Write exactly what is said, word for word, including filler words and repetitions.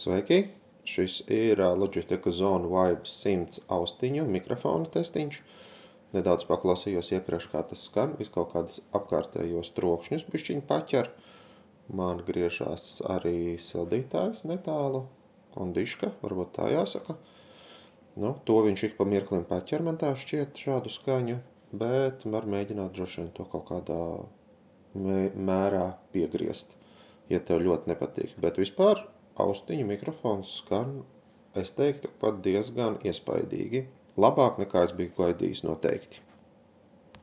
Sveiki! Šis ir Logitech Zone Vibe simts austiņu mikrofona testiņš. Nedaudz paklausījos iepriekš, kā tas skan, vis kaut kādas apkārtējos trokšņus bišķiņ paķer. Man griežās arī sildītājs netālu, kondiška, varbūt tā jāsaka. Nu, to viņš ik pa mirklim paķer, man tā šķiet šādu skaņu, bet var mēģināt droši vien to kaut kādā mērā piegriezt, ja tev ļoti nepatīk. Bet vispār austiņu mikrofons skan, es teiktu, pat diezgan iespaidīgi. Labāk nekā es biju gaidījis noteikti.